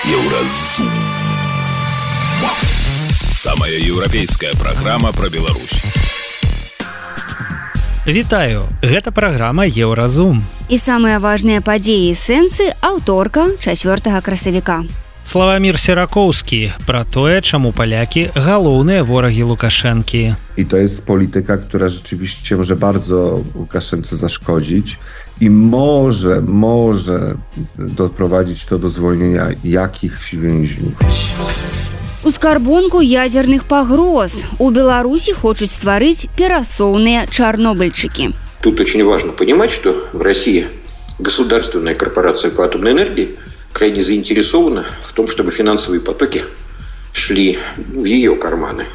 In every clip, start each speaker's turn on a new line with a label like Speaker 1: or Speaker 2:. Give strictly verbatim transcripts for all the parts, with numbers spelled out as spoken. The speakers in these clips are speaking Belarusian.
Speaker 1: Еўразум. Самая еўрапейская праграма пра Беларусь.
Speaker 2: Вітаю, гэта праграма Еўразум.
Speaker 3: І самыя важныя падзеі і сэнсы аўторка чацвёртага красавіка.
Speaker 2: Славамір Сіракоўскі пра тое, czemu Polacy główne wrogi Łukaszenki.
Speaker 4: I to jest polityka, która rzeczywiście może bardzo Łukaszence zaszkodzić i może, może doprowadzić to do zwolnienia jakichś więźniów.
Speaker 3: У скарбонку ядерных погроз у Беларуси хочуць стварыць перасоўныя чарнобыльчыкі.
Speaker 5: Тут очень важно понимать, что в России государственная корпорация по атомной энергии крайне заинтересована в том, чтобы финансовые потоки шли в ее карманы.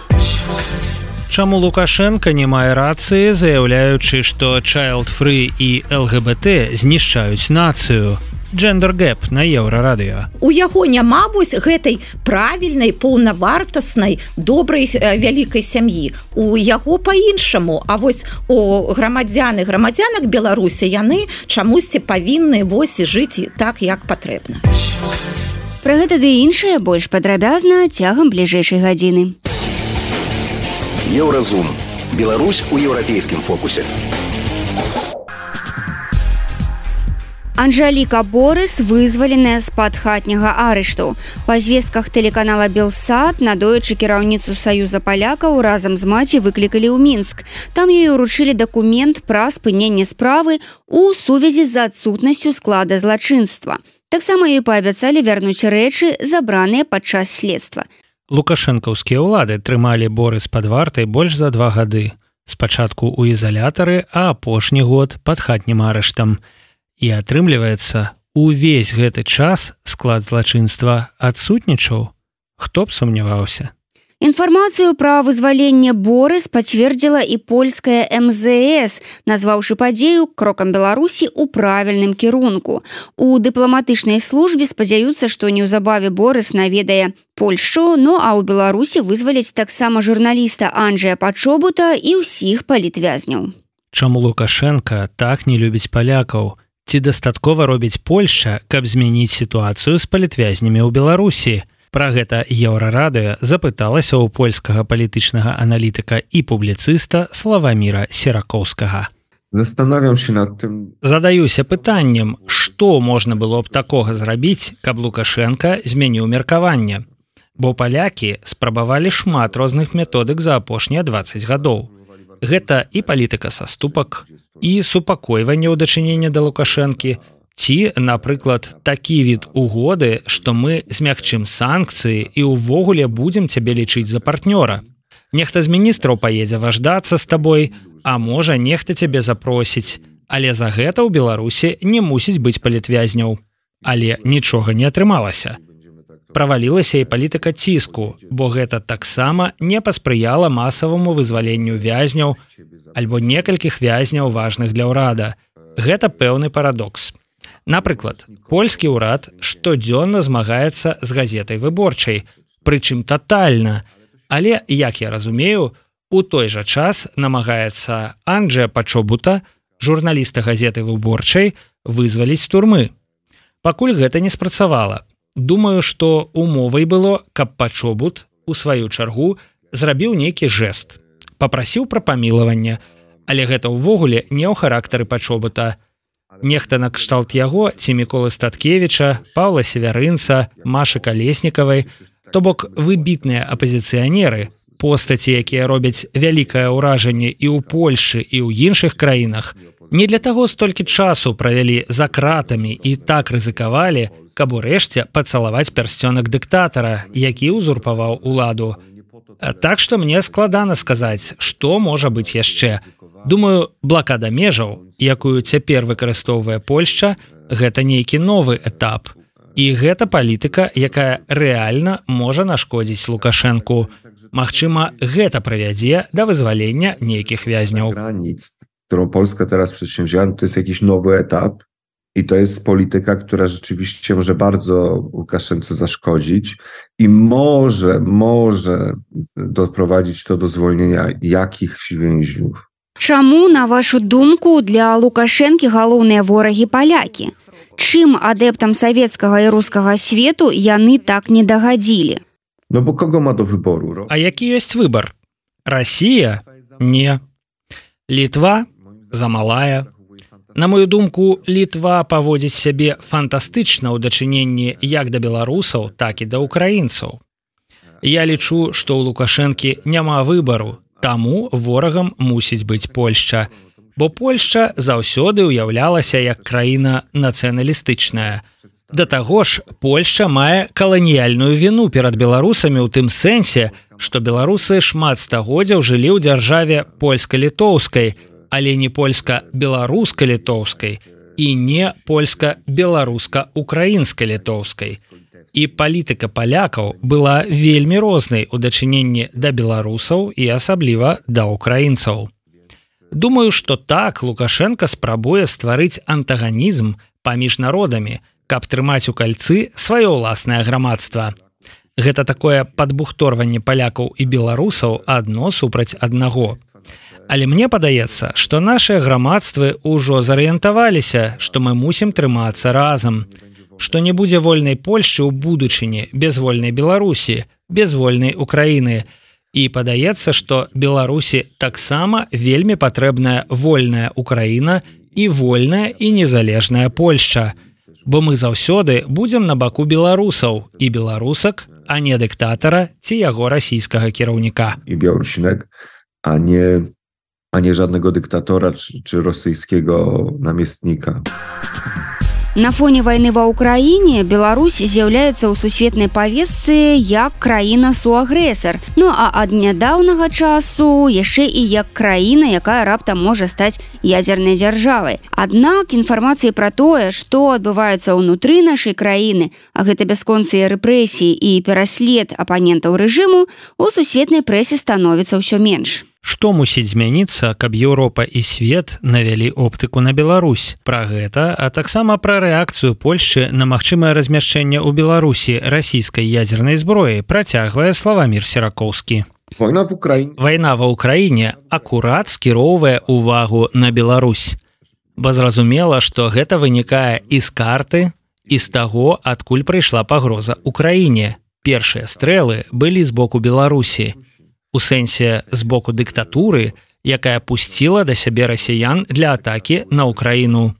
Speaker 2: Чаму Лукашенко не мае рацыі, заяўляючы, што child-free і эл гэ бэ тэ знішчаюць нацыю? Gender Gap на Еўрарадыё.
Speaker 6: У яго няма вось гэтай правільнай, паўнавартаснай, добрай вялікай сям'і. У яго па-іншаму, а вось у грамадзян і грамадзянак Беларусі яны чамусьці павінны вось жыць так, як патрэбна.
Speaker 3: Пра гэта ды іншае больш падрабязна цягам бліжэйшай гадзіны.
Speaker 1: Еўразум. Беларусь у еўрапейскім фокусе.
Speaker 3: Анжеліка Борыс вызваленая з-пад хатняга арышту. Па звестках тэлеканала Белсат надоечы кіраўніцу Саюза палякаў разам з маці выклікалі ў Мінск. Там ёй уручылі дакумент пра спыненне справы ў сувязі з адсутнасцю склада злачынства. Таксама ёй паабяцалі вярнуць рэчы, забраныя падчас следства.
Speaker 2: Лукашэнкаўскія ўлады трымалі Борыс пад вартай больш за два гады. Спачатку ў ізалятары, а апошні год пад хатнім арыштам. І атрымліваецца, увесь гэты час склад злачынства адсутнічаў. Хто б сумняваўся?
Speaker 3: Інфармацыю пра вызваленне Борыс пацвердзіла і польская эм зэ эс, назваўшы падзею крокам Беларусі ў правільным кірунку. У дыпламатычнай службе спадзяюцца, што неўзабаве Борыс наведае Польшчу, ну а ў Беларусі вызваляць таксама журналіста Анджэя Пачобута і ўсіх палітвязняў.
Speaker 2: Чаму Лукашенка так не любіць палякаў? Ці дастаткова робіць Польшча, каб змяніць сітуацыю з палітвязнямі ў Беларусі? Пра гэта Еўрарадыё запыталася ў польскага палітычнага аналітыка і публіцыста Славаміра Сіракоўскага.
Speaker 4: Zastanawiam się nad tym.
Speaker 2: Задаюся пытаннем, што можна было б такога зрабіць, каб Лукашенка змяніў меркаванне? Бо палякі спрабавалі шмат розных методык за апошнія дваццаць гадоў. Гэта і палітыка саступак, і супакойванне ў дачыненні да Лукашэнкі, ці, напрыклад, такі від угоды, што мы змягчым санкцыі і ўвогуле будзем цябе лічыць за партнёра. Нехта з міністраў паедзе важдацца з табой, а можа, нехта цябе запросіць, але за гэта ў Беларусі не мусіць быць палітвязняў. Але нічога не атрымалася. Правалілася і палітыка ціску, бо гэта таксама не паспрыяла масаваму вызваленню вязняў альбо некалькіх вязняў важных для ўрада. Гэта пэўны парадокс. Напрыклад, польскі ўрад штодзённа змагаецца з газетай «Выборчай», прычым татальна, але, як я разумею, у той жа час намагаецца Анджэя Пачобута, журналіста газеты «Выборчай», вызваліць з турмы. Пакуль гэта не спрацавала. Думаю, што умовай было, каб Пачобут, у сваю чаргу, зрабіў нейкі жэст. Папрасіў пра памілаванне, але гэта ўвогуле не ў характары Пачобута. Нехта накшталт яго ці Міколы Статкевіча, Паўла Севярынца, Машы Калеснікавай, то бок выбітныя апазіцыянеры, постаці, якія робяць вялікае ўражанне і ў Польшы, і ў іншых краінах, не для таго столькі часу правялі за кратамі і так рызыкавалі, каб урэшце пацалаваць пярсцёнак дыктатара, які ўзурпаваў уладу. Так што мне складана сказаць, што можа быць яшчэ. Думаю, блакада межаў, якую цяпер выкарыстоўвае Польшча, гэта нейкі новы этап. І гэта палітыка, якая рэальна можа нашкодзіць Лукашэнку. Магчыма, гэта прывядзе да вызвалення нейкіх вязняў.
Speaker 4: Którą Polska teraz przedsięwzięła, to jest jakiś nowy etap i to jest polityka, która rzeczywiście może bardzo Łukaszence zaszkodzić i może, może doprowadzić to do zwolnienia jakichś więźniów.
Speaker 3: Чаму, на вашу думку, для Лукашэнкі галоўныя ворагі палякі? Чым адэптам савецкага і рускага свету яны так не дагадзілі?
Speaker 4: No bo kogo ma do wyboru?
Speaker 2: А які ёсць выбар? Расія? Не. Літва? Замалая. На мою думку, Літва паводзіць сябе фантастычна ў дачыненні як да беларусаў, так і да ўкраінцаў. Я лічу, што ў Лукашэнкі няма выбару, таму ворагам мусіць быць Польшча, бо Польшча заўсёды ўяўлялася як краіна нацыяналістычная. Да таго ж, Польшча мае каланіяльную віну перад беларусамі ў тым сэнсе, што беларусы шмат стагоддзяў жылі ў дзяржаве польска-літоўскай, але не польска-беларуска-літоўскай і не польска-беларуска-украінска-літоўскай. І палітыка палякаў была вельмі рознай у дачыненні да беларусаў і асабліва да ўкраінцаў. Думаю, што так Лукашенка спрабуе стварыць антаганізм паміж народамі, каб трымаць у кальцы сваё ўласнае грамадства. Гэта такое падбухторванне палякаў і беларусаў адно супраць аднаго. Але мне падаецца, што нашыя грамадствы ўжо зарыентаваліся, што мы мусім трымацца разам, што не будзе вольнай Польшчы ў будучыні без вольнай Беларусі, без вольнай Украіны. І падаецца, што Беларусі таксама вельмі патрэбная вольная Украіна і вольная і незалежная Польшча. Бо мы заўсёды будзем на баку беларусаў і беларусак, а не дыктатара ці яго расійскага кіраўніка.
Speaker 4: I Białorusinek, a nie, a nie żadnego dyktatora czy, czy rosyjskiego namiestnika.
Speaker 3: На фоне вайны ва ўкраіне Беларусь з'яўляецца ў сусветнай павестцы як краіна-суагрэсар, ну а ад нядаўнага часу яшчэ і як краіна, якая раптам можа стаць ядзернай дзяржавай. Аднак інфармацыі пра тое, што адбываецца ўнутры нашай краіны, а гэта бясконцыя рэпрэсіі і пераслед апанентаў рэжыму, у сусветнай прэсе становіцца ўсё менш.
Speaker 2: Што мусіць змяніцца, каб Еўропа і свет навялі оптыку на Беларусь? Пра гэта, а таксама пра рэакцыю Польшчы на магчымае размяшчэнне ў Беларусі расійскай ядзернай зброі працягвае Славамір Серакоўскі.
Speaker 4: Война в Украине.
Speaker 2: Вайна ва ўкраіне акурат скіроўвае ўвагу на Беларусь. Бо зразумела, што гэта вынікае і з карты, і з таго, адкуль прыйшла пагроза ўкраіне. Першыя стрэлы былі з боку Беларусі. У сэнсе з боку дыктатуры, якая пусціла да сябе расіян для атакі на Украіну.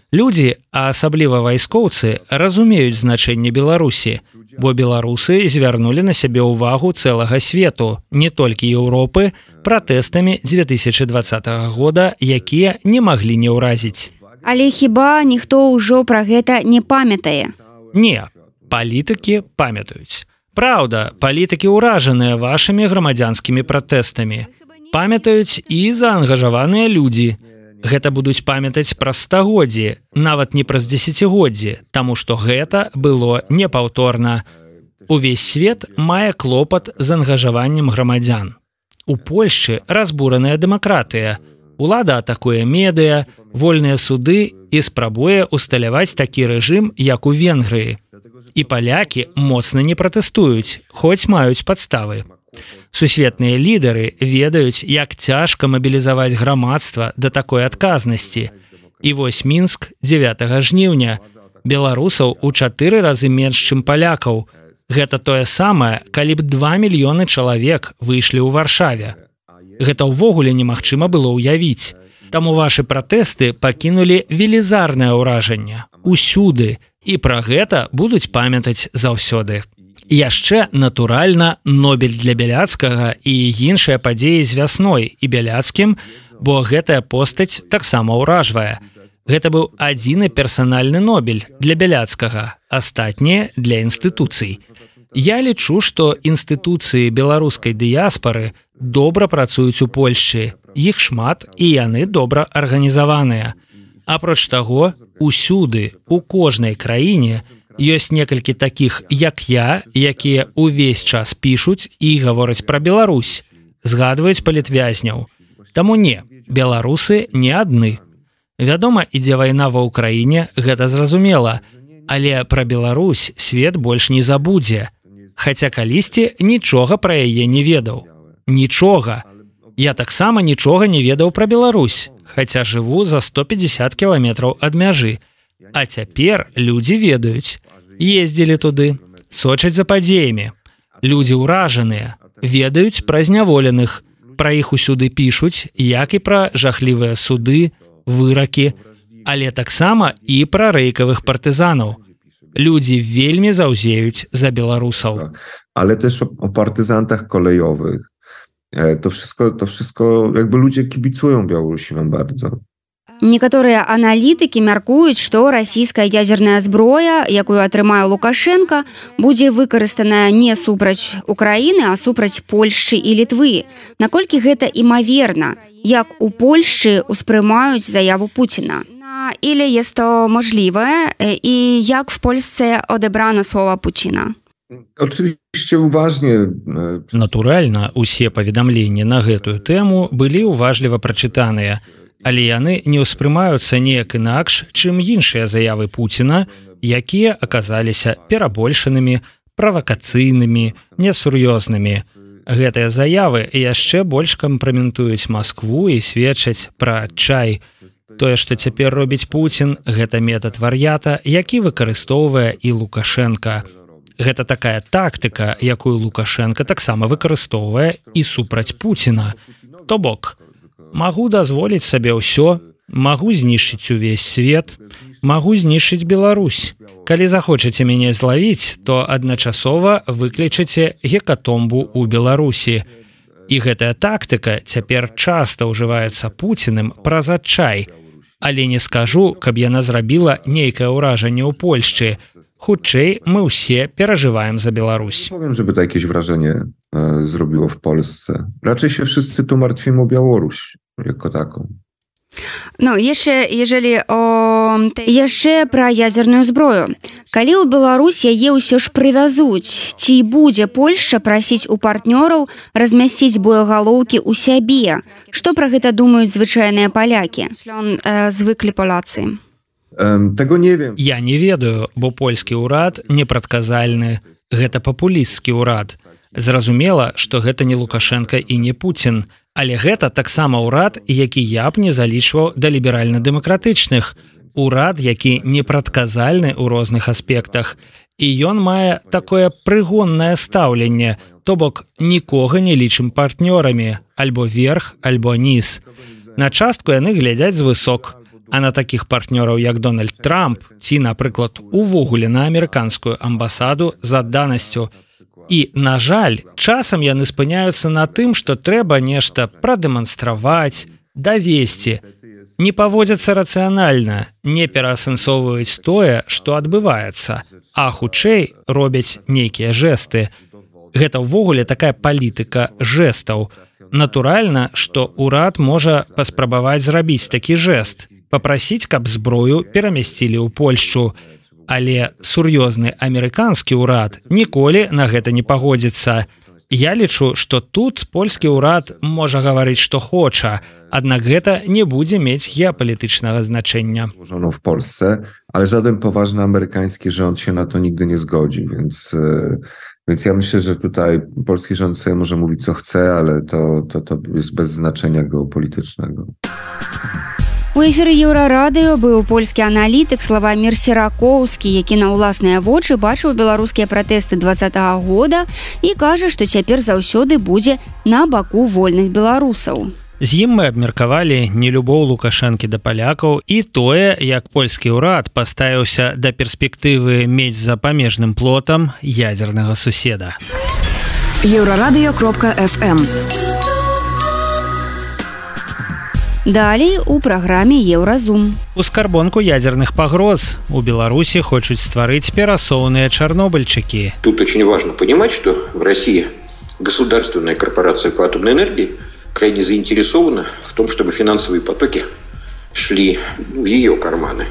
Speaker 2: Людзі, а асабліва вайскоўцы, разумеюць значэнне Беларусі, бо беларусы звярнулі на сябе ўвагу цэлага свету, не толькі Еўропы, пратэстамі дзве тысячы дваццатага года, якія не маглі не ўразіць.
Speaker 3: Але хіба ніхто ўжо пра гэта не памятае?
Speaker 2: Не, палітыкі памятаюць. Праўда, палітыкі ўражаныя вашымі грамадзянскімі пратэстамі. Памятаюць і заангажаваныя людзі. Гэта будуць памятаць праз стагоддзі, нават не праз дзесяцігоддзі, таму што гэта было непаўторна. Увесь свет мае клопат з ангажаваннем грамадзян. У Польшчы разбураная дэмакратыя. Улада атакуе медыя, вольныя суды і спрабуе усталяваць такі рэжым, як у Венгрыі. І палякі моцна не пратэстуюць, хоць маюць падставы. Сусветныя лідары ведаюць, як цяжка мабілізаваць грамадства да такой адказнасці. І вось Мінск дзевятага жніўня. Беларусаў у чатыры разы менш, чым палякаў. Гэта тое самае, калі б два мільёны чалавек выйшлі ў Варшаве. Гэта ўвогуле немагчыма было ўявіць. Таму вашы пратэсты пакінулі велізарнае ўражанне. Усюды. І пра гэта будуць памятаць заўсёды. Яшчэ, натуральна, Нобель для Бяляцкага і іншыя падзеі з вясной і Бяляцкім, бо гэтая постаць таксама ўражвае. Гэта быў адзіны персанальны Нобель для Бяляцкага, астатнія для інстытуцый. Я лічу, што інстытуцыі беларускай дыяспары добра працуюць у Польшчы, іх шмат і яны добра арганізаваныя. Апроч таго, усюды, у кожнай краіне ёсць некалькі такіх, як я, якія ўвесь час пішуць і гавораць пра Беларусь, згадваюць палітвязняў. Таму не, беларусы не адны. Вядома, ідзе вайна ва ўкраіне, гэта зразумела, але пра Беларусь свет больш не забудзе. Хаця калісьці нічога пра яе не ведаў. Нічога. Я таксама нічога не ведаў пра Беларусь, хаця жыву за сто пятьдесят кіламетраў ад мяжы. А цяпер людзі ведаюць, ездзілі туды, сочаць за падзеямі. Людзі ўражаныя, ведаюць пра зняволеных, пра іх усюды пішуць, як і пра жахлівыя суды, выракі, але таксама і пра рэйкавых партызанаў. Людзі вельмі заўзеюць за беларусаў.
Speaker 4: Ale też o, o partyzantach kolejowych. To wszystko, to wszystko jakby ludzie kibicują Białorusinom bardzo.
Speaker 3: Некаторыя аналітыкі мяркуюць, што расійская ядзерная зброя, якую атрымае Лукашенко, будзе выкарыстаная не супраць Украіны, а супраць Польшчы і Літвы. Наколькі гэта імаверна, як у Польшчы успрымаюць заяву Путіна? Или jest to możliwe i jak w Polsce odebrano słowa Putina?
Speaker 4: Oczywiście uważnie.
Speaker 2: Натуральна, усе паведамленні на гэтую тэму былі уважліва прачытаныя, але яны не ўспрымаюцца неяк інакш, чым іншыя заявы Пуціна, якія аказаліся перабольшанымі, правакацыйнымі, несур'ёзнымі. Гэтыя заявы яшчэ больш кампраментуюць Маскву і сведчаць пра адчай. Тое, што цяпер робіць Пуцін, гэта метад вар'ята, які выкарыстоўвае і Лукашенка. Гэта такая тактыка, якую Лукашенка таксама выкарыстоўвае і супраць Пуціна. То бок, магу дазволіць сабе ўсё, магу знішчыць увесь свет, магу знішчыць Беларусь. Калі захочаце мяне злавіць, то адначасова выклічыце гекатомбу ў Беларусі. І гэтая тактыка цяпер часта ўжываецца Пуціным праз адчай. Але не скажу, каб яна зрабіла нейкае ўражанне ў Польшчы. Хутчэй мы ўсе перажываем za Białoruś.
Speaker 4: Nie powiem, żeby to jakieś wrażenie e, zrobiło w Polsce. Raczej się wszyscy tu martwimy o Białoruś jako taką.
Speaker 3: Ну, яшчэ, ежели о... яшчэ пра ядзерную зброю. Калі ў Беларусь яе ўсё ж прывязуць, ці будзе Польшча прасіць у партнёраў размясціць боегалоўкі ў сябе? Што пра гэта думаюць звычайныя палякі? Э, звыклі палацы.
Speaker 4: Tego nie wiem.
Speaker 2: Я не ведаю, бо польскі ўрад непрадказальны. Гэта папулісцкі ўрад. Зразумела, што гэта не Лукашенко і не Пуцін. Але гэта таксама ўрад, які я б не залічваў да ліберальна-дэмакратычных. Урад, які непрадказальны ў розных аспектах. І ён мае такое прыгоннае стаўленне, то бок нікога не лічым партнёрамі, альбо верх, альбо низ. На частку яны глядзяць звысок. А на такіх партнёраў, як Дональд Трамп, ці, напрыклад, увогуле на амерыканскую амбасаду з адданасцю. І, на жаль, часам яны спыняюцца на тым, што трэба нешта прадэманстраваць, давесці. Не паводзяцца рацыянальна, не пераасэнсоўваюць тое, што адбываецца, а хутчэй робяць нейкія жэсты. Гэта ўвогуле такая палітыка жэстаў. Натуральна, што ўрад можа паспрабаваць зрабіць такі жэст, папрасіць, каб зброю перамясцілі ў Польшчу. Але сур'ёзны амерыканскі ўрад ніколі на гэта не пагодзіцца. Я лічу, што тут польскі ўрад можа гаварыць, што хоча, аднак гэта не будзе мець геапалітычнага значэння.
Speaker 4: Złożono w Polsce, ale żaden poważny amerykański rząd się na to nigdy nie zgodzi, więc, więc ja myślę, że tutaj polski rząd sobie może mówić co chce, ale to, to, to jest bez znaczenia geopolitycznego.
Speaker 3: У эфіры Еўрарадыё быў польскі аналітык Славамір Серакоўскі, які на ўласныя вочы бачыў беларускія пратэсты двадцатага года і кажа, што цяпер заўсёды будзе на баку вольных беларусаў.
Speaker 2: З ім мы абмеркавалі нелюбоў Лукашэнкі да палякаў і тое, як польскі ўрад паставіўся да перспектывы мець за памежным плотам ядзернага суседа.
Speaker 7: еўрарадыё кропка эф эм.
Speaker 3: Далей у праграме Еўразум.
Speaker 2: У скарбонку ядзерных пагроз у Беларусі хочуць стварыць перасоўныя чарнобыльчыкі.
Speaker 5: Тут очень важно понимать, что в России государственная корпорация по атомной энергии крайне заинтересована в том, чтобы финансовые потоки шли в ее карманы.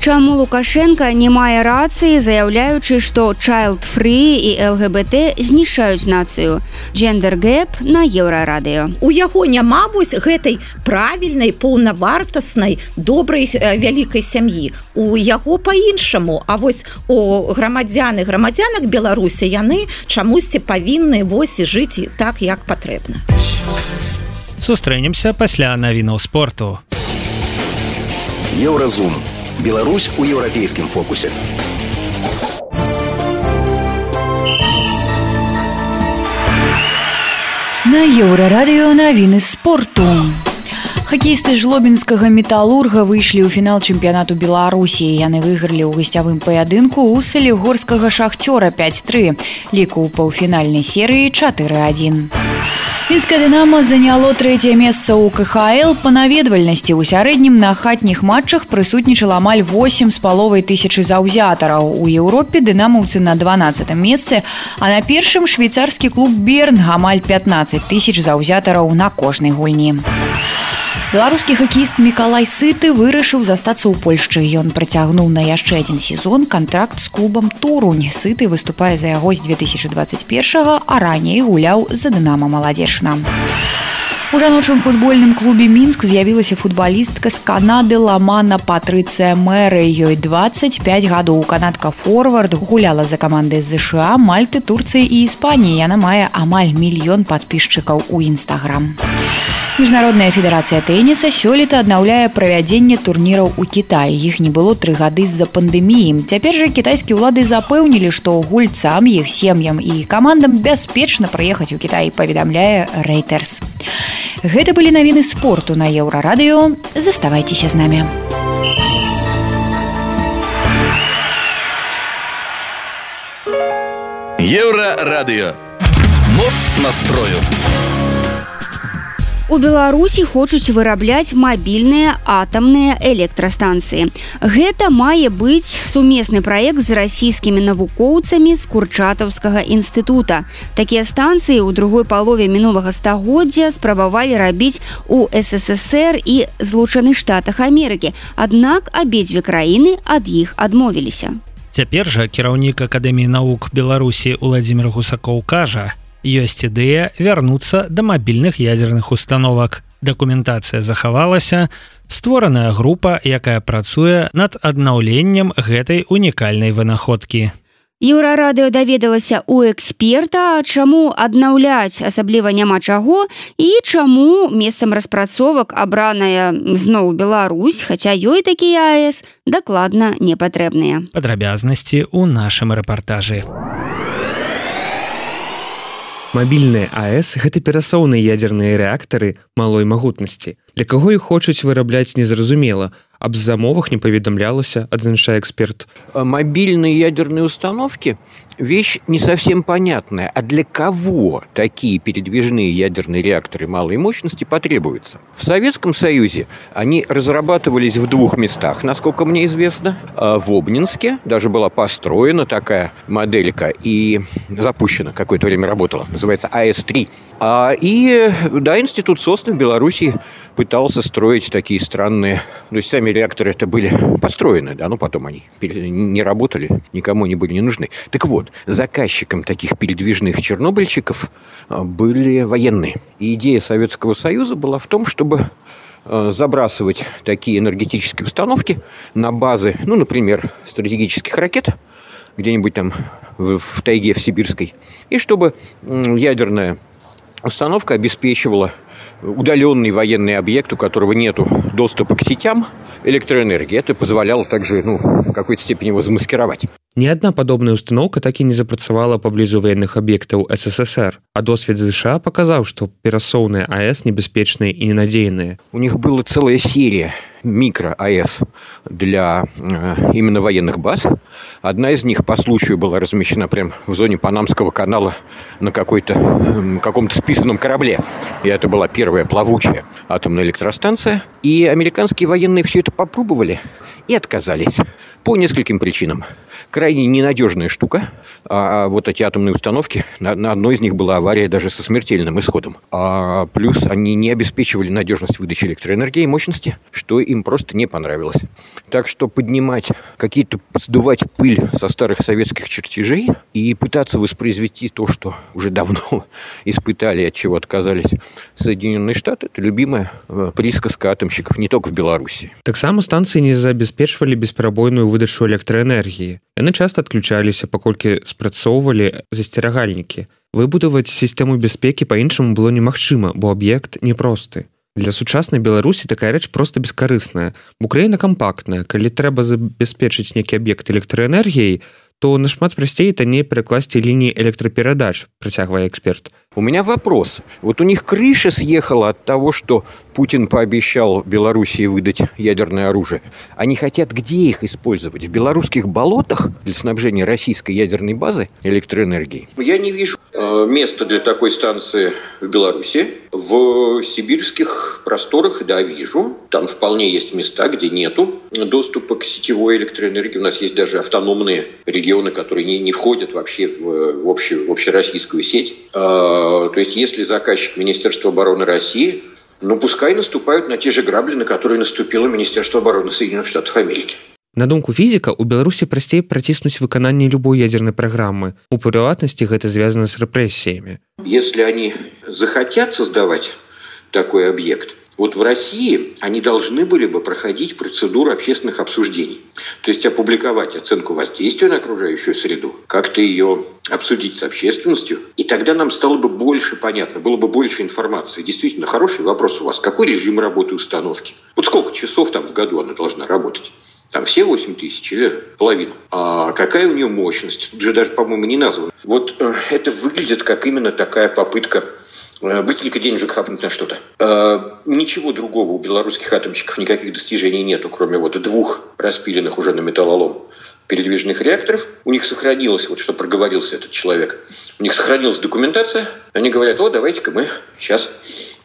Speaker 3: Чаму Лукашенко не мае рацыі, заяўляючы, што child-free і эл гэ бэ тэ знішаюць нацыю? Gender Gap на Еўрарадыё.
Speaker 6: У яго няма вось гэтай правільнай, паўнавартаснай, добрай вялікай сям'і. У яго па-іншаму, а вось у грамадзян і грамадзянак Беларусі яны чамусьці павінны вось жыць так, як патрэбна.
Speaker 2: Сустрэнемся пасля навінаў спорту.
Speaker 1: Еўразум. Беларусь у еўрапейскім фокусе.
Speaker 8: На Еўрарадыё навіны спорту. Хакеісты жлобінскага металурга выйшлі ў фінал чэмпіянату Беларусі. Яны выйгралі ў гасцявым паядынку ў салігорскага шахцёра пяць тры. Ліку ў паўфінальнай серыі чатыры адзін. Мінскае «Дынамо» заняло трэцяе месца ў ка ха эл па наведвальнасці. У сярэднім на хатніх матчах прысутнічала амаль восем з паловай тысячы заўзятараў. У Еўропе дынамаўцы на дванаццатым месцы, а на першым швейцарскі клуб «Берн» амаль пятнаццаць тысяч заўзятараў на кожнай гульні. Беларускі хакеіст Мікалай Сыты вырашыў застацца ў Польшчы. Ён працягнуў на яшчэ адзін сезон кантракт з клубам «Турунь». Сыты выступае за яго з две тысячы дваццаць першага, а раней гуляў за «Дынамо» Маладзечна. У жаночым футбольным клубе «Мінск» з'явілася футбалістка з Канады Ламана Патрыцыя Мэры. Ёй дваццаць пяць гадоў. Канадка-форвард гуляла за каманды з ЗША, Мальты, Турцыі і Іспаніі. Яна мае амаль мільён падпісчыкаў у Інстаграм. Міжнародная федэрацыя тэніса сёлета аднаўляе правядзенне турніраў у Кітаі. Іх не было тры гады з-за пандэміі. Цяпер жа кітайскія ўлады запэўнілі, што гульцам, іх сем'ям і камандам бяспечна прыехаць у Кітай, паведамляе Reuters. Гэта былі навіны спорту на Еўрарадыё. Заставайцеся з намі.
Speaker 1: Еўрарадыё. Моц настрою.
Speaker 3: У Беларусі хочуць вырабляць мабільныя атамныя электрастанцыі. Гэта мае быць сумесны праект з расійскімі навукоўцамі з Курчатаўскага інстытута. Такія станцыі ў другой палове мінулага стагоддзя спрабавалі рабіць у эс эс эс эр і Злучаных Штатах Амерыкі. Аднак абедзве краіны ад іх адмовіліся.
Speaker 2: Цяпер жа кіраўнік Акадэміі навук Беларусі Уладзімір Гусакоў кажа, ёсць ідэя вярнуцца да мабільных ядзерных установак. Дакументацыя захавалася, створаная група, якая працуе над аднаўленнем гэтай унікальнай вынаходкі.
Speaker 3: Еўрарадыё даведалася у эксперта, чаму аднаўляць асабліва няма чаго і чаму месцам распрацовак абраная зноў Беларусь, хаця ёй такія а эс дакладна не патрэбныя.
Speaker 2: Падрабязнасці ў нашым рэпартажы.
Speaker 9: Мабільныя а эс – гэта перасоўныя ядзерныя рэактары малой магутнасці. Для каго іх хочуць вырабляць незразумела. Об замовах не поведомлялось, адзначае эксперт.
Speaker 5: Мобильные ядерные установки – вещь не совсем понятная. А для кого такие передвижные ядерные реакторы малой мощности потребуются? В Советском Союзе они разрабатывались в двух местах, насколько мне известно. В Обнинске даже была построена такая моделька и запущена, какое-то время работала. Называется а эс три. И, да, институт Сосны в Беларуси пытался строить такие странные... То есть сами реакторы это были построены, да, но потом они не работали, никому они были не нужны. Так вот, заказчиком таких передвижных чернобыльчиков были военные. И идея Советского Союза была в том, чтобы забрасывать такие энергетические установки на базы, ну, например, стратегических ракет, где-нибудь там в, в тайге в Сибирской, и чтобы ядерная установка обеспечивала удаленный военный объект, у которого нет доступа к сетям электроэнергии. Это позволяло также, ну, в какой-то степени его замаскировать.
Speaker 9: Ні адна падобная установка так і не запрацавала паблізу военных аб'ектаў эс эс эс эр, а досвед ЗША паказаў, што перасоўныя а эс небяспечныя і ненадзейныя.
Speaker 5: У них была целая серия микро-а эс для э, именно военных баз. Одна из них по случаю была размещена прямо в зоне Панамского канала на какой-то, э, каком-то списанном корабле. И это была первая плавучая атомная электростанция. И американские военные все это попробовали и отказались. По нескольким причинам. Крайне ненадежная штука. А вот эти атомные установки, на, на одной из них была авария даже со смертельным исходом. А плюс они не обеспечивали надежность выдачи электроэнергии и мощности, что им просто не понравилось. Так что поднимать какие-то, сдувать пыль со старых советских чертежей и пытаться воспроизвести то, что уже давно испытали, от чего отказались Соединенные Штаты, это любимая присказка атомщиков не только в Беларуси.
Speaker 9: Таксама станции не забяспечвалі бесперабойную выдачу электроэнергіі. Яны часта адключаліся, паколькі спрацоўвалі засцерагальнікі. Выбудаваць сістэму бяспекі па-іншаму было немагчыма, бо аб'ект непросты. Для сучаснай Беларусі такая рэч проста бескарысная. Украіна кампактная, калі трэба забяспечыць нейкі аб'ект электраэнергіяй, то нашмат прасцей і танней перакласці лініі электраперадач, працягвае эксперт.
Speaker 5: У меня вопрос. Вот у них крыша съехала от того, что Путин пообещал Белоруссии выдать ядерное оружие. Они хотят где их использовать? В белорусских болотах для снабжения российской ядерной базы электроэнергией? Я не вижу э, места для такой станции в Беларуси. В сибирских просторах, да, вижу. Там вполне есть места, где нету доступа к сетевой электроэнергии. У нас есть даже автономные регионы, которые не, не входят вообще в, в, общую, в общероссийскую сеть. То есть, если заказчик Министерства обороны России, ну, пускай наступают на те же грабли, на которые наступило Министерство обороны Соединенных Штатов Америки.
Speaker 9: На думку фізіка, у Беларусі прасцей праціснуць выкананне любой ядерной праграмы. У прыватнасці гэта звязана с рэпрэсіямі.
Speaker 5: Если они захотят создавать такой объект, вот в России они должны были бы проходить процедуру общественных обсуждений. То есть опубликовать оценку воздействия на окружающую среду, как-то ее обсудить с общественностью. И тогда нам стало бы больше понятно, было бы больше информации. Действительно, хороший вопрос у вас. Какой режим работы установки? Вот сколько часов там в году она должна работать? Там все восемь тысяч или половину. А какая у нее мощность? Тут же даже, по-моему, не названо. Вот э, это выглядит как именно такая попытка быстренько денежек хапнуть на что-то. Э, ничего другого у белорусских атомщиков, никаких достижений нету, кроме вот двух распиленных уже на металлолом передвижных реакторов. У них сохранилось, вот что проговорился этот человек, у них сохранилась документация. Они говорят, о, давайте-ка мы сейчас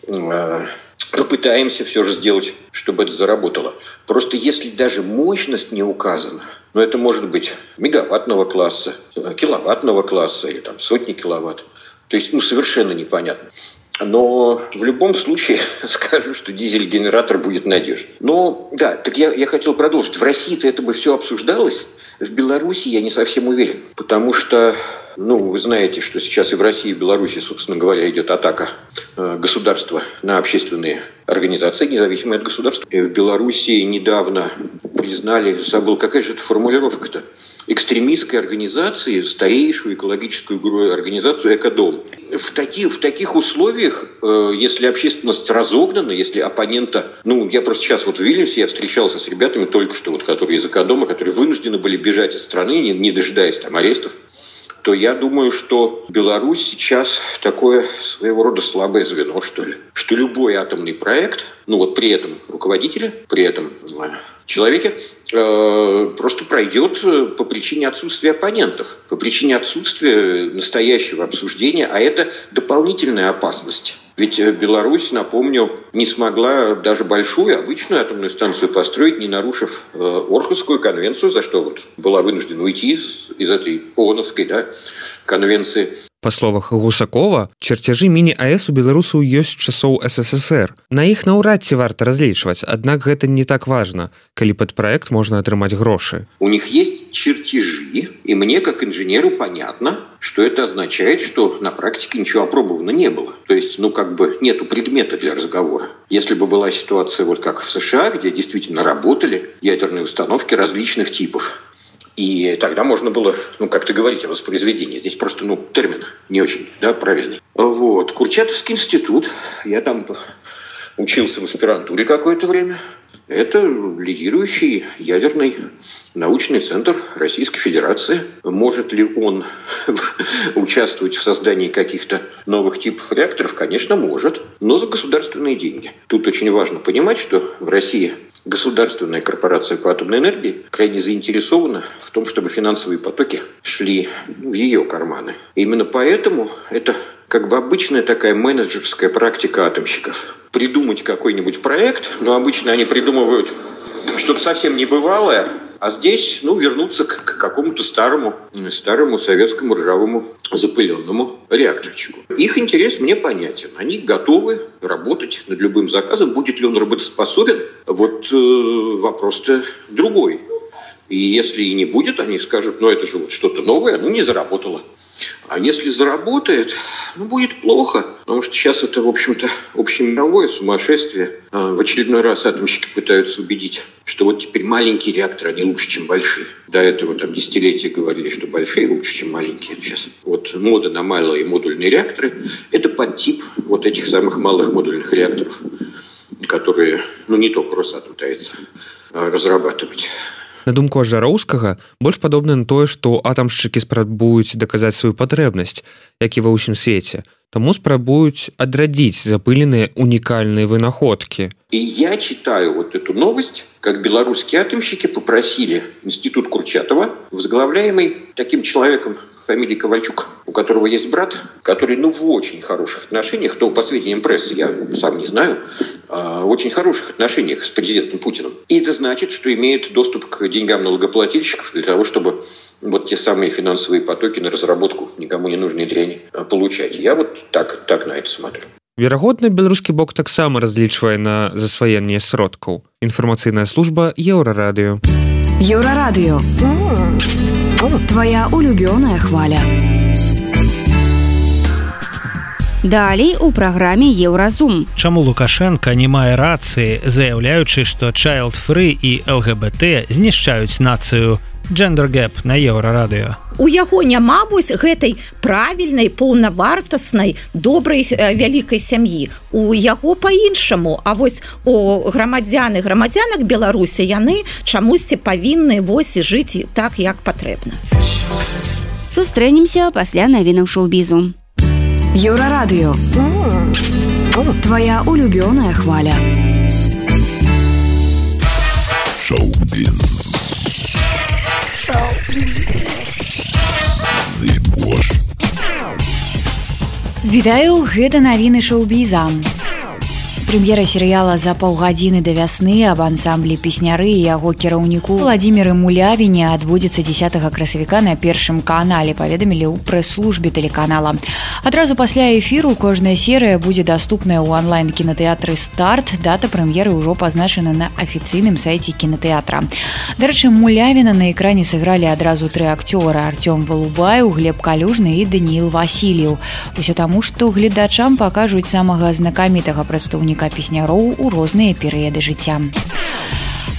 Speaker 5: э, попытаемся все же сделать, чтобы это заработало. Просто если даже мощность не указана, ну это может быть мегаваттного класса, киловаттного класса или там сотни киловатт, то есть, ну, совершенно непонятно. Но в любом случае скажу, что дизель-генератор будет надежен. Но, да, так я, я хотел продолжить. В России-то это бы все обсуждалось. В Беларуси я не совсем уверен. Потому что, ну, вы знаете, что сейчас и в России, и в Беларуси, собственно говоря, идет атака э, государства на общественные организации, независимые от государства. И в Беларуси недавно признали, забыл, какая же это формулировка-то, экстремистской организации, старейшую экологическую организацию «Экодом». В таких, в таких условиях, э, если общественность разогнана, если оппонента... Ну, я просто сейчас вот в Вильнюсе, я встречался с ребятами только что, вот, которые из «Экодома», которые вынуждены были бежать из страны, не, не дожидаясь там арестов, то я думаю, что Беларусь сейчас такое своего рода слабое звено, что ли. Что любой атомный проект, ну вот при этом руководителе, при этом человеке, э, просто пройдет по причине отсутствия оппонентов, по причине отсутствия настоящего обсуждения, а это дополнительная опасность. Ведь Беларусь, напомню, не смогла даже большую, обычную атомную станцию построить, не нарушив э, Орхусскую конвенцию, за что вот была вынуждена уйти из, из этой ООНовской, да, конвенции.
Speaker 9: Па словах Гусакова, чарцяжы міні-АЭС у беларусаў ёсць часоў СССР. На іх наўрад ці варта разлічваць, аднак гэта не так важна, калі пад праект можна атрымаць грошы.
Speaker 5: У них есть чертежи, и мне, как инженеру, понятно, что это означает, что на практике ничего опробовано не было. То есть, ну, как бы нету предмета для разговора. Если бы была ситуация вот как в США, где действительно работали ядерные установки различных типов, и тогда можно было, ну, как-то говорить о воспроизведении. Здесь просто, ну, термин не очень, да, правильный. Вот. Курчатовский институт. Я там учился в аспирантуре какое-то время. Это лидирующий ядерный научный центр Российской Федерации. Может ли он участвовать в создании каких-то новых типов реакторов? Конечно, может, но за государственные деньги. Тут очень важно понимать, что в России государственная корпорация по атомной энергии крайне заинтересована в том, чтобы финансовые потоки шли в ее карманы. И именно поэтому это как бы обычная такая менеджерская практика атомщиков. Придумать какой-нибудь проект, но обычно они придумывают что-то совсем небывалое, а здесь, ну, вернуться к, к какому-то старому, старому советскому ржавому запыленному реакторчику. Их интерес мне понятен. Они готовы работать над любым заказом. Будет ли он работоспособен? Вот э, вопрос-то другой. И если и не будет, они скажут, ну, это же вот что-то новое, ну, не заработало. А если заработает, ну, будет плохо, потому что сейчас это, в общем-то, общемировое сумасшествие. В очередной раз атомщики пытаются убедить, что вот теперь маленькие реакторы, они лучше, чем большие. До этого там десятилетия говорили, что большие лучше, чем маленькие. Сейчас вот мода на малые модульные реакторы – это подтип вот этих самых малых модульных реакторов. которые, ну, не только Росатом пытается разрабатывать.
Speaker 9: На думку Ажароўскага, больш падобна на тое, што атамшчыкі спрабуюць даказаць сваю патрэбнасць, як і ва ўсім свеце. Таму спрабуюць адрадзіць запыленыя унікальныя вынаходкі.
Speaker 5: И я читаю вот эту новость, как белорусские атомщики попросили институт Курчатова, возглавляемый таким человеком фамилии Ковальчук, у которого есть брат, который, ну, в очень хороших отношениях, то по сведениям прессы, я сам не знаю, в очень хороших отношениях с президентом Путиным. И это значит, что имеет доступ к деньгам налогоплательщиков для того, чтобы вот те самые финансовые потоки на разработку никому не нужной дряни получать. Я вот так, так на это смотрю.
Speaker 9: Верагодна, беларускі бок таксама разлічвае на засваенне сродкаў. Інфармацыйная служба Еўрарадыё.
Speaker 7: Еўрарадыё. Твоя улюбёная хваля.
Speaker 3: Далей у праграме Еўразум.
Speaker 2: Чаму Лукашенко не мае рацыі, заяўляючы, што child-free і эл гэ бэ тэ знішчаюць нацыю? Gender Gap на Еўрарадыё.
Speaker 6: У яго няма вось гэтай правільнай, паўнавартаснай, добрай вялікай сям'і. У яго па-іншаму. А вось у грамадзян і грамадзянак Беларусі яны чамусьці павінны вось жыць так, як патрэбна.
Speaker 3: Сустрэнемся пасля навінаў шоу-бізу.
Speaker 7: Еўрарадыё. Твоя улюбёная хваля.
Speaker 1: Шоу-біз.
Speaker 8: Вітаю, гэта навіны шоу-біза. Прэм'ера серыяла «За паўгадзіны да вясны» аб ансамблі песняры і яго кіраўніку Владзіміры Мулявіне адбудзецца дзесятага красавіка на першым канале, паведамілі ў прэс-службе тэлеканала. Адразу пасля эфіру кожная серыя будзе даступная ў онлайн-кінатэатры «Старт». Дата прэм'еры ўжо пазначана на афіцыйным сайце кінатэатра. Дарэчы, Мулявіна на экране сыгралі адразу тры акцёра: Артём Валубаеў, Глеб Калюжны і Даніил Васильев. Усё таму, што гледачам пакажуць самага знакамітага прадстаўніка песняроў у розныя перыяды жыцця.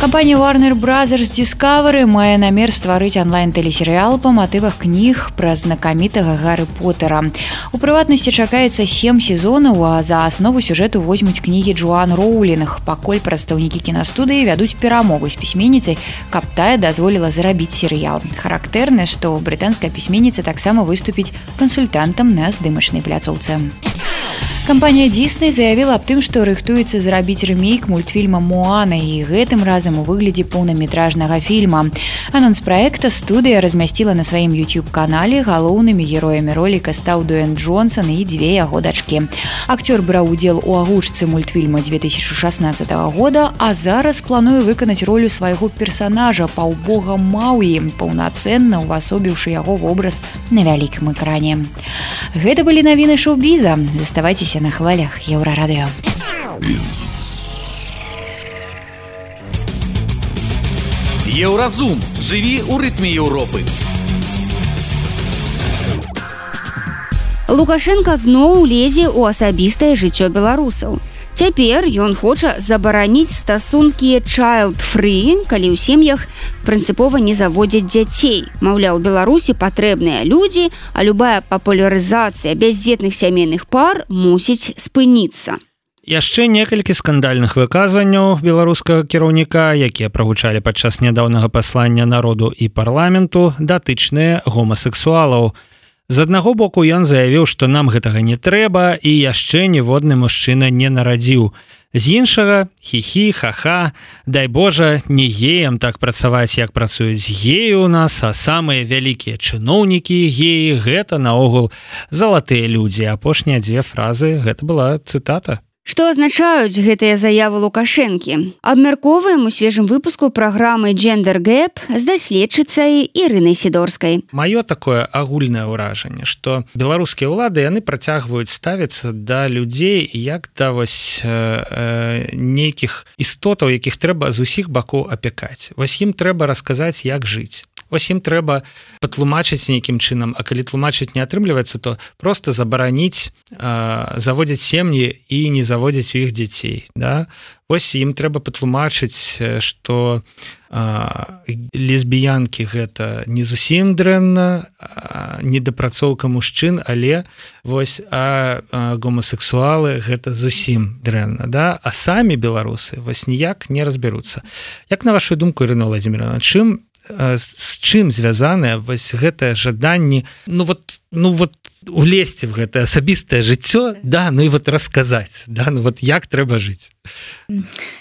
Speaker 8: Кампанія Warner Brothers Discovery мае намер стварыць онлайн-тэлесерыял па матывах кніг пра знакамітага Гарры Поттера. У прыватнасці чакаецца сем сезонаў, а за аснову сюжэту возьмуць кнігі Джоан Роулінг, пакуль прадстаўнікі кінастудыі вядуць перамовы з пісьменніцай, каб тая дазволіла зарабіць серыял. Характэрна, што брытанская пісьменніца таксама выступіць кансультантам на здымачнай пляцоўцы. Кампанія Disney заявіла аб тым, што рыхтуецца зрабіць рэмейк мультфільма «Моана», і гэтым разам у выглядзе поўнаметражнага фільма. Анонс праекта студыя размясціла на сваім YouTube-канале. Галоўнымі героямі роліка стаў Дуэйн Джонсон і дзве яго дачкі. Акцёр браў удзел у агучцы мультфільма две тысячи шаснаццатага года, а зараз плануе выканаць ролю свайго персанажа, паўбога Мауі, паўнацэнна увасобіўшы яго вобраз на вялікім экране. Гэта былі навіны шоу-біза. Заставайцеся на хвалях Еўрарадыё.
Speaker 1: Еўразум. Жыві ў рытме Еўропы.
Speaker 3: Лукашенко зноў лезе ў асабістае жыццё беларусаў. Цяпер ён хоча забараніць стасункі child-free, калі ў сем'ях прынцыпова не заводзяць дзяцей. Маўляў, Беларусі патрэбныя людзі, а любая папулярызацыя бяздзетных сямейных пар мусіць спыніцца.
Speaker 2: Яшчэ некалькі скандальных выказванняў беларускага кіраўніка, якія прагучалі падчас нядаўнага паслання народу і парламенту, датычныя гомасексуалаў. З аднаго боку ён заявіў, што нам гэтага не трэба і яшчэ ніводны мужчына не нарадзіў. З іншага, хі-хі, ха-ха, дай Божа, не геям так працаваць, як працуюць геі ў нас, а самыя вялікія чыноўнікі геі — гэта наогул залатыя людзі. Апошнія дзве фразы — гэта была цытата.
Speaker 3: Што азначаюць гэтыя заявы Лукашэнкі? Абмяркоўваем у свежым выпуску праграмы Gender Gap з даследчыцай Ірынай Сідорскай.
Speaker 2: Маё такое агульнае ўражанне, што беларускія ўлады яны працягваюць ставіцца да людзей як да вось э, э, нейкіх істотаў, якіх трэба з усіх бакоў апякаць. Вось ім трэба расказаць, як жыць. Вось ім трэба патлумачыць нейкім чынам, а калі тлумачыць не атрымліваецца, то просто забараніць заводзіць сем'і і не заводзіць у іх дзяцей, да? Вось ім трэба патлумачыць, што лесбіянкі гэта не зусім дрэнна, недапрацоўка мужчын, але вось а гомасексуалы гэта зусім дрэнна, да? А самі беларусы вось ніяк не разбяруцца. Як на вашу думку, Ірына Владимировна, чым з чым звязанае вось гэтае жаданне, ну вот, ну вот улезці в гэтае асабістае жыццё, да, ну і вот расказаць, да, ну вот як трэба жыць.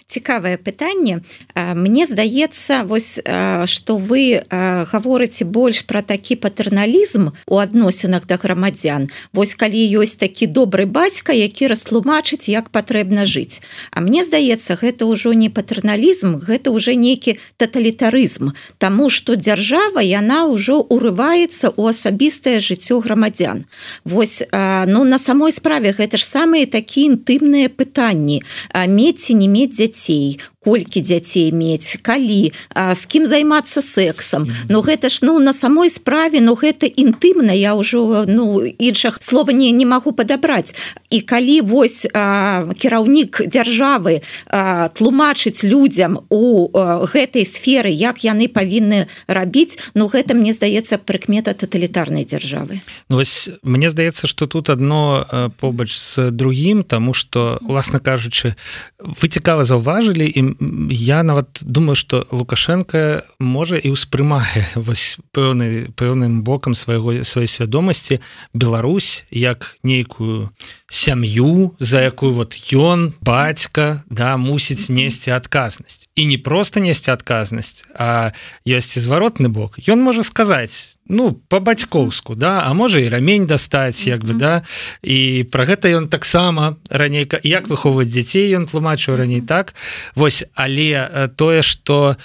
Speaker 6: Цікавае пытанне. Мне здаецца, вось што вы гаворыце больш пра такі патэрналізм у адносінах да грамадзян. Вось калі ёсць такі добры бацька, які растлумачыць, як патрэбна жыць. А мне здаецца, гэта ўжо не патэрналізм, гэта ўжо нейкі таталітарызм, таму што дзяржава яна ўжо урываецца ў асабістае жыццё грамадзян. Вось, ну, на самой справе гэта ж самыя такія інтымныя пытанні. Мець ці не мець дзяцей, колькі дзяцей мець, калі, з кім займацца сексам. Ну гэта ж, ну, на самой справе, ну гэта інтымна, я ўжо, ну, іншых слова не, не магу падабраць. І калі вось а, кіраўнік дзяржавы а, тлумачыць людзям у а, гэтай сферы, як яны павінны рабіць, ну гэта, мне здаецца, прыкмета таталітарнай дзяржавы.
Speaker 2: Ну вось, мне здаецца, што тут адно а, побач з другім, таму што, уласна кажучы, вы цікава заўважылі, і я нават думаю, што Лукашенко можа і ўспрымае вось пэўны, пэўным бокам свайго, сваёй свядомасці Беларусь як нейкую сям'ю, за якую вот ён, бацька, да, мусіць несці адказнасць. І не проста несці адказнасць, а ёсць і зваротны бок. Ён можа сказаць, ну, па-бацькоўску, да, а можа і рамень дастаць, як бы, да, і пра гэта ён таксама раней, як выхоўваць дзяцей, ён тлумачыў раней, так? Вось, але тое, што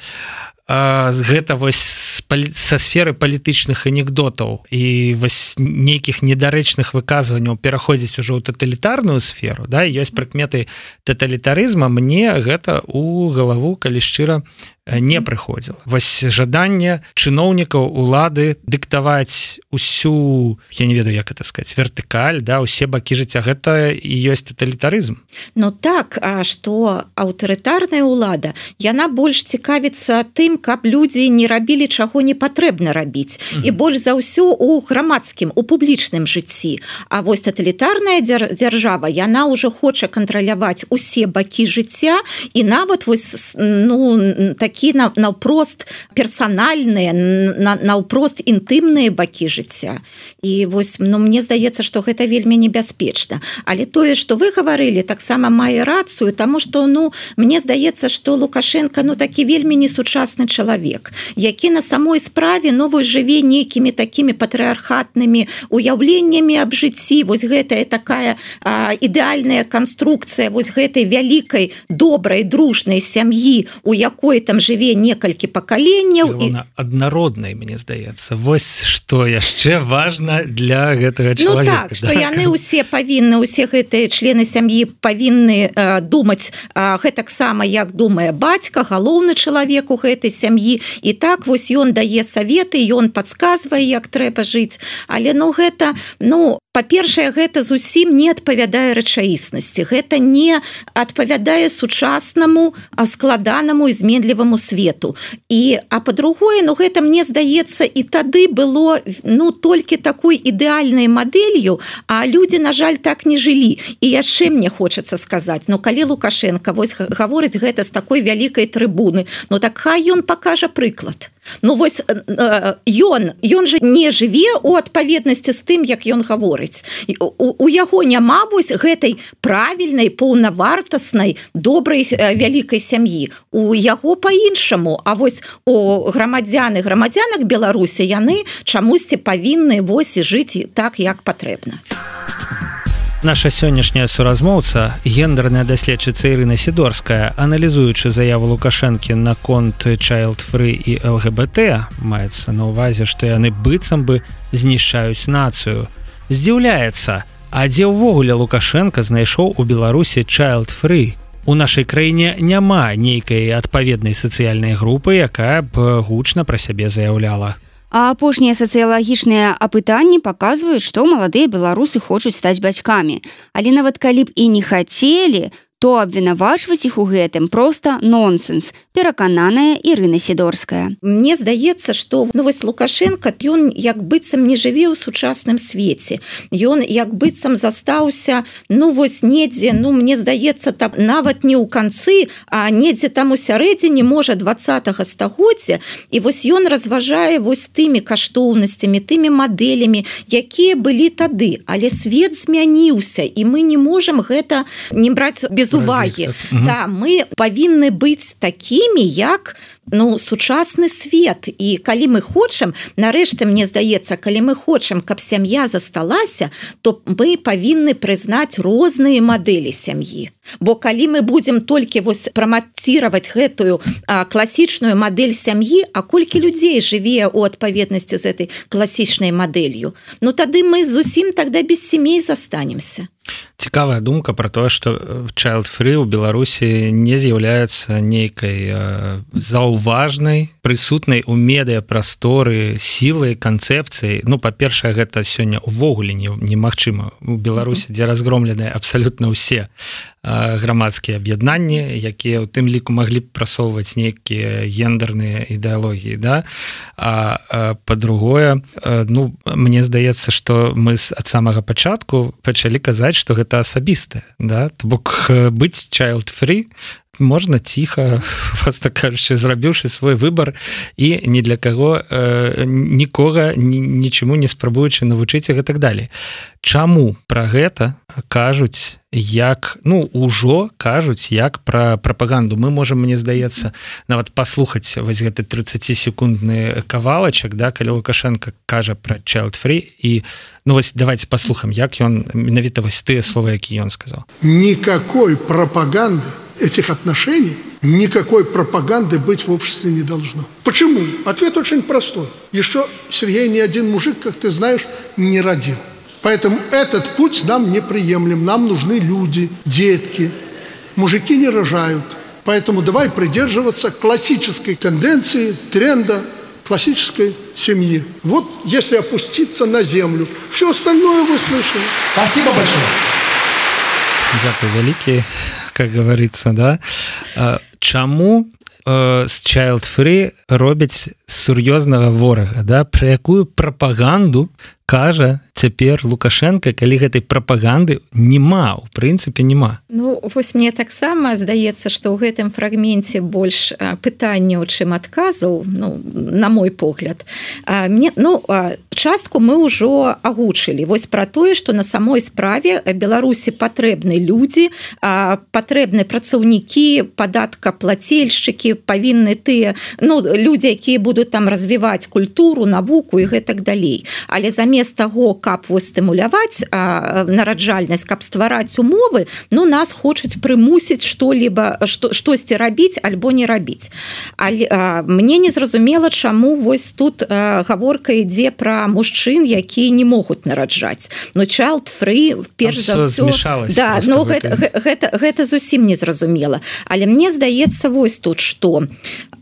Speaker 2: гэта вось са сферы палітычных анекдотаў і вось нейкіх недарэчных выказванняў пераходзіць ужо ў таталітарную сферу, да, ёсць прыкметы таталітарызма, мне гэта у галаву, калі шчыра, не прыходзіла. Вось жаданне чыноўнікаў улады дыктаваць усю, я не ведаю, як это сказаць, вертыкаль, да, усе бакі жыцця, гэта і ёсць таталітарызм.
Speaker 6: Ну так, а што аўтарытарная ўлада, яна больш цікавіцца тым, каб людзі не рабілі, чаго не патрэбна рабіць. Mm-hmm. І больш за ўсё у грамадскім, у публічным жыцці. А вось таталітарная дзяржава, яна ўжо хоча кантраляваць усе бакі жыцця, і нават вось, ну, так такі наўпрост персанальныя, наўпрост інтымныя бакі жыцця. І вось, ну, мне здаецца, што гэта вельмі небяспечна. Але тое, што вы гаварылі, таксама мае рацыю, таму што, ну, мне здаецца, што Лукашенко, ну, такі вельмі несучасны чалавек, які на самой справе, ну, вось жыве нейкімі такімі патрыархатнымі уяўленнямі аб жыцці. Вось гэтая такая а, ідэальная канструкцыя вось гэтай вялікай, добрай, дружнай сям'і, у якой там жыве некалькі пакаленняў.
Speaker 2: І... аднароднай, мне здаецца. Вось што яшчэ важна для гэтага чалавека.
Speaker 6: Ну так, да? Што яны ўсе павінны, усе гэтыя члены сям'і павінны э, думаць э, гэтаксама, як думае бацька, галоўны чалавек у гэтай сям'і. І так вось ён дае саветы, ён падказвае, як трэба жыць. Але ну гэта, ну, па-першае, гэта зусім не адпавядае рэчаіснасці. Гэта не адпавядае сучаснаму, складанаму і зменліваму свету. І, а па-другое, ну гэта, мне здаецца, і тады было, ну, толькі такой ідэальнай мадэлью, а людзі, на жаль, так не жылі. І яшчэ мне хочацца сказаць, ну, калі Лукашенко вось гаворыць гэта з такой вялікай трыбуны, ну, так хай ён пакажа прыклад. Ну, вось ён, ён жа не жыве у адпаведнасці з тым, як ён гаворыць. У, у яго няма вось гэтай правільнай, паўнавартаснай, добрай, вялікай сям'і. У яго па-іншаму. А вось у грамадзян і грамадзянак Беларусі яны чамусьці павінны вось жыць так, як патрэбна.
Speaker 2: Наша сённяшняя суразмоўца, гендерная даследчыца Ірына Сідорская, аналізуючы заяву Лукашэнкі наконт child-free і эл гэ бэ тэ, маецца на ўвазе, што яны быццам бы знішчаюць нацыю, здзіўляецца, а дзе ўвогуле Лукашенко знайшоў у Беларусі child-free? У нашай краіне няма нейкай адпаведнай сацыяльнай групы, якая б гучна пра сябе заяўляла.
Speaker 3: А апошнія сацыялагічныя апытанні паказваюць, што маладыя беларусы хочуць стаць бацькамі. Але нават калі б і не хацелі, то абвінавачваць іх у гэтым проста нонсенс, перакананая Ірына Сідорская.
Speaker 6: Мне здаецца, што ну, вось Лукашенко, ён як быццам не жыве ў сучасным свеце. Ён як быццам застаўся, ну вось недзе, ну мне здаецца, там, нават не ў канцы, а недзе там у сярэдзіне, можа, двадцатага стагоддзя. І вось ён разважае вось тымі каштоўнасцямі, тымі мадэлямі, якія былі тады. Але свет змяніўся, і мы не можам гэта не браць без увагі.
Speaker 2: Угу.
Speaker 6: Да, мы павінны быць такімі, як ну, сучасны свет. І калі мы хочам, нарэшце, мне здаецца, калі мы хочам, каб сям'я засталася, то мы павінны прызнаць розныя мадэлі сям'і. Бо калі мы будзем толькі вось прамаціраваць гэтую а, класічную мадэль сям'і, а колькі людзей жыве ў адпаведнасці з этой класічнай мадэлью, ну тады мы зусім тогда без сямей застанемся.
Speaker 2: Цікавая думка про тое, што child-free ў Беларусі не з'яўляецца нейкай э, заўважнай, прысутнай у медыяпрасторы сілай, канцэпцыі. Ну, па-першае, гэта сёння ўвогуле немагчыма. У Беларусі, дзе разгромленыя абсалютна ўсе э, грамадскія аб'яднанні, якія ў тым ліку маглі б прасоўваць нейкія гендерныя ідэалогіі, да? А, а па-другое, э, ну, мне здаецца, што мы ад самага пачатку пачалі казаць, што гэта асабістае, да? То бок быць child-free можна ціха, просто кажучы, зрабіўшы свой выбар і ні для каго э, нікога нічаму не спрабуючы навучыць і гэтак далей. Чаму пра гэта кажуць як, ну, ужо кажуць як пра прапаганду? Мы можам, мне здаецца, нават паслухаць вось гэты трыццацісекундны кавалачак, да, калі Лукашенко кажа пра child-free, і ну вось давайте паслухаем, як ён менавіта вось тыя словы, які ён сказаў.
Speaker 10: Никакой пропаганды этих отношений, никакой пропаганды быть в обществе не должно. Почему? Ответ очень простой. Еще Сергей ни один мужик, как ты знаешь, не родил. Поэтому этот путь нам неприемлем. Нам нужны люди, детки. Мужики не рожают. Поэтому давай придерживаться классической тенденции, тренда классической семьи. Вот если опуститься на землю. Все остальное вы слышали.
Speaker 11: Спасибо большое.
Speaker 2: Дякую вялікі, как говорится, да. Чаму э, з child-free робяць сур'ёзнага ворага, да? Пра якую прапаганду кажа цяпер Лукашенко, калі гэтай прапаганды нема, у прынцыпе нема.
Speaker 6: Ну, вось мне таксама здаецца, што ў гэтым фрагменце больш пытанняў, чым адказаў, ну, на мой погляд. А, мне, ну, частку мы ўжо агучылі. Вось пра тое, што на самой справе Беларусі патрэбны людзі, а, патрэбны працаўнікі, падаткаплацельшчыкі, павінны тыя, ну, людзі, якія будуць там развіваць культуру, навуку і гэтак далей. Але замест таго, каб вось стымуляваць а, нараджальнасць, каб ствараць умовы, ну, нас хочуць прымусіць што-либо, што, штосьці рабіць альбо не рабіць. Але а, мне не зразумела, чаму вось тут а, гаворка ідзе пра мужчын, якія не могуць нараджаць. Ну, child-free, перш за ўсё... Да, ну, гэта, гэта, гэта зусім не зразумела. Але мне здаецца вось тут, што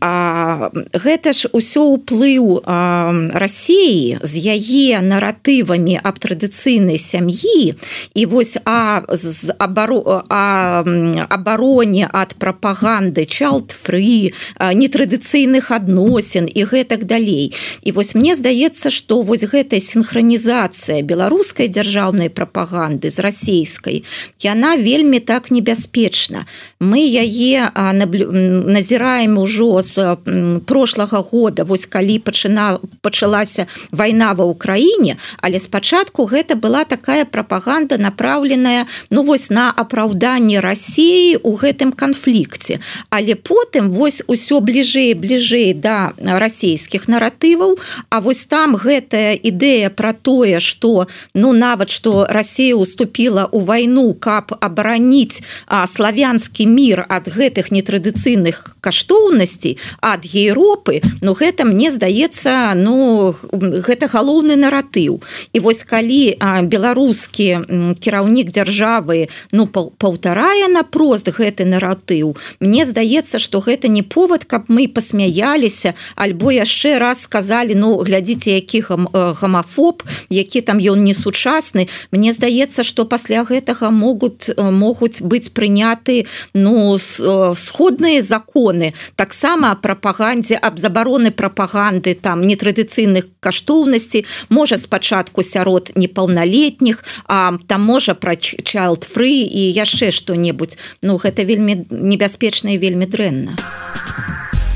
Speaker 6: а, гэта ж усё ўплыў а, Расіі з яе наратывамі аб традыцыйнай сям'і і вось а, з абаро, а, абароне ад прапаганды child-free, нетрадыцыйных адносін і гэтак далей. І вось мне здаецца, што вось гэтая сінхранізацыя беларускай дзяржаўнай прапаганды з расійскай, яна вельмі так небяспечна. Мы яе назіраем ужо з прошлага года, вось калі пачына, пачалася вайна ва Ўкраіне, але спачатку гэта была такая прапаганда, направленая, ну, вось на апраўданне Расіі ў гэтым канфлікце. Але потым вось усё бліжэй бліжэй да расійскіх наратываў, а вось там гэтая ідэя пра тое, што, ну, нават што Расія уступіла ў вайну, каб абараніць а, славянскі мір ад гэтых нетрадыцыйных каштоўнасцей, ад Еўропы, ну, гэта, мне здаецца, ну, гэта галоўны наратыў. наратыў. І вось калі беларускі кіраўнік дзяржавы ну паўтарае напрост гэты наратыў, мне здаецца, што гэта не повод, каб мы пасмяяліся альбо яшчэ раз сказалі, ну глядзіце, які гамафоб, які там ён несучасны. Мне здаецца, што пасля гэтага могуць могуць быць прыняты ну сходныя законы, таксама прапагандзе аб забароны прапаганды там нетрадыцыйных каштоўнасцей, можа спачатку сярод непаўналетніх, а там можа пра child free і яшчэ што-небудзь. Ну гэта вельмі небяспечна і вельмі дрэнна.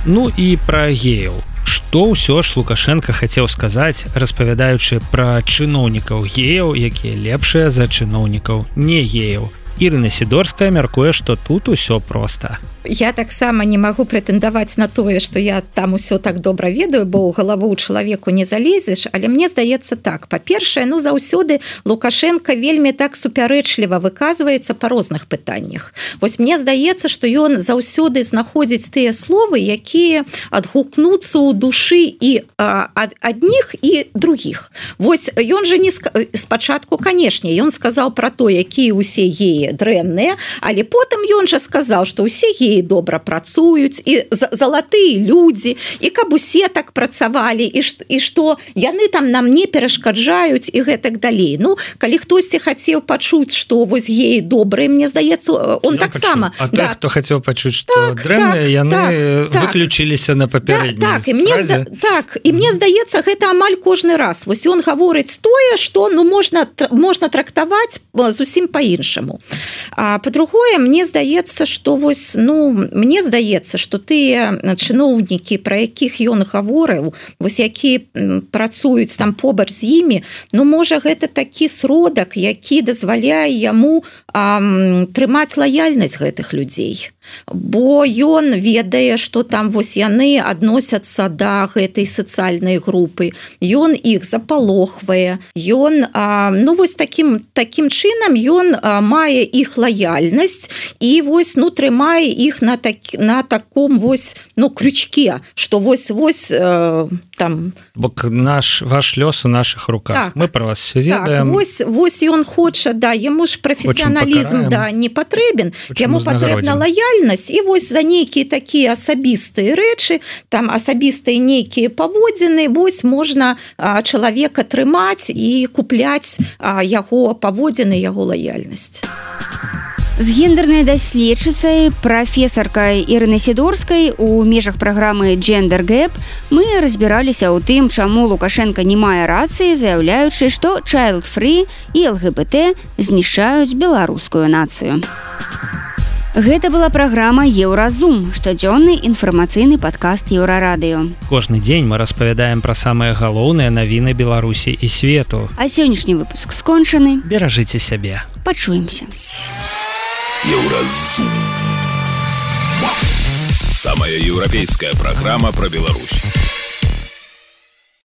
Speaker 2: Ну і пра геяў. Што ўсё ж Лукашенко хацеў сказаць, распавядаючы пра чыноўнікаў геяў, якія лепшыя за чыноўнікаў не геяў. Ірына Сідорская мяркуе, што тут усё проста.
Speaker 6: Я таксама не магу прэтэндаваць на тое, што я там усё так добра ведаю, бо ў галаву чалавеку не залезеш, але мне здаецца так. Па-першае, ну заўсёды Лукашенко вельмі так супярэчліва выказваецца па розных пытаннях. Вось мне здаецца, што ён заўсёды знаходзіць тыя словы, якія адгукнуцца ў душы і а, ад адних і другіх. Вось ён жа не спачатку, канешне, ён сказаў пра то, якія ўсе геі дрэнныя, але потым ён жа сказаў, што ўсе геі добра працуюць і залатыя людзі, і каб усе так працавалі, і, і што яны там нам не перашкаджаюць і гэтак далей. Ну, калі хтосьці хацеў пачуць, што вось геі добрыя, мне здаецца, он таксама...
Speaker 2: А той, да. хто хацеў пачуць, што так, дрэнныя, так, яны так, выключыліся так. на папярэдняй
Speaker 6: да, так, і мне зда... так, і мне здаецца, гэта амаль кожны раз. Вось ён гаворыць тое, што ну, можна, можна трактаваць зусім па-іншаму. А па-другое, мне здаецца, што вось, ну, мне здаецца, што тыя чыноўнікі, пра якіх ён гаворыў, вось які працуюць там побач з імі, ну, можа, гэта такі сродак, які дазваляе яму ам, трымаць лаяльнасць гэтых людзей. Бо ён ведае, што там вось яны адносяцца да гэтай сацыяльнай групы. Ён іх запалохвае. Ён, а, ну, вось такім, такім чынам ён а, мае іх лаяльнасць і вось, ну, трымае іх на, так, на таком вось, ну, крючке, што вось-вось э, там...
Speaker 2: Бок наш, ваш лёс у наших руках. Так, мы про вас все ведаем.
Speaker 6: Так, вось, вось ён хоча, да, яму ж прафесіяналізм да, не патрэбен, яму патрэбна лаяльнасць, і вось за нейкія такія асабістыя рэчы, там асабістыя нейкія паводзіны, вось можна а, чалавека трымаць і купляць а, яго паводзіны, яго лаяльнасць.
Speaker 3: З гендернай даследчыцай прафесаркай Ірынай Сідорскай у межах праграмы Gender Gap мы разбіраліся ў тым, чаму Лукашенко не мае рацыі, заяўляючы, што child free і эл гэ бэ тэ знішчаюць беларускую нацыю. Гэта была праграма Еўразум, штодзённы інфармацыйны падкаст Еўрарадыё.
Speaker 2: Кожны дзень мы распавядаем пра самыя галоўныя навіны Беларусі і свету.
Speaker 3: А сённяшні выпуск скончаны.
Speaker 2: Беражыце сябе.
Speaker 3: Пачуемся.
Speaker 1: Еўразум. Самая еўрапейская программа про Беларусь.